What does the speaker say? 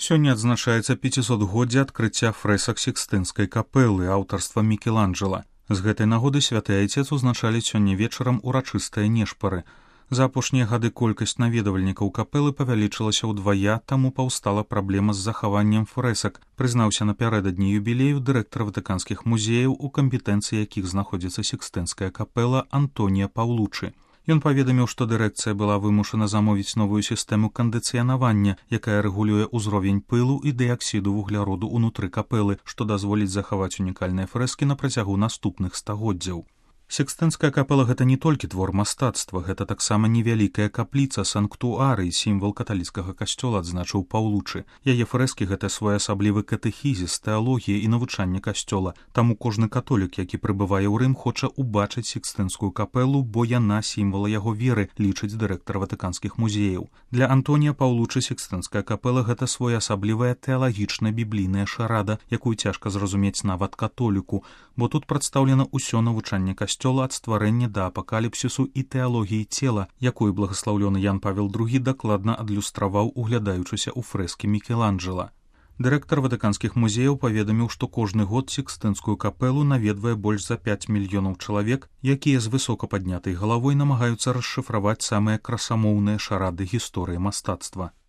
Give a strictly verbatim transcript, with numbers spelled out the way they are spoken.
Сёння адзначаецца пяцісотгоддзе адкрыцця фрэсак Сікстынскай капэлы аўтарства Мікеланджэла. З гэтай нагоды святы айцец узначаліць сёння вечарам урачыстыя нешпары. За апошнія гады колькасць наведвальнікаў капэлы павялічылася ўдвая, таму паўстала праблема з захаваннем фрэсак, прызнаўся напярэдадні юбілею дырэктар ватыканскіх музеяў, у кампетэнцыі якіх знаходзіцца Сікстынская капэла Антонія Паўлучы. Ён паведаміў, што дырэкцыя была вымушана замовіць новую сістэму кандыцыянавання, якая рэгулюе ўзровень пылу і дыяксіду вугляроду ўнутры капэлы, што дазволіць захаваць унікальныя фрэскі на працягу наступных стагоддзяў. Сікстынская капэла — гэта не толькі твор мастацтва, гэта таксама невялікая капліца, санктуарый, сімвал каталіцкага касцёла, адзначыў Паўлучы. Яе фрэскі — гэта своеасаблівы катэхізіс, тэалогія і навучанне касцёла. Таму кожны католік, які прыбывае ў Рым, хоча ўбачыць Сікстынскую капэлу, бо яна сімвал яго веры, лічыць дырэктар ватыканскіх музеяў. Для Антонія Паўлучы Сікстынская капэла — гэта своеасаблівая тэалагічна-біблійная шарада, якую цяжка зразумець нават католіку, бо тут прадстаўлена ўсё навучанне касцёла ад стварэння да апакаліпсісу і тэалогіі цела, якую благаслаўлёны Ян Павел другі дакладна адлюстраваў, углядаючыся ў фрэскі Мікеланджэла. Дырэктар ватыканскіх музеяў паведаміў, што кожны год Сікстынскую капэлу наведвае больш за пяць мільёнаў чалавек, якія з высока паднятай галавой намагаюцца расшыфраваць самыя красамоўныя шарады гісторыі мастацтва.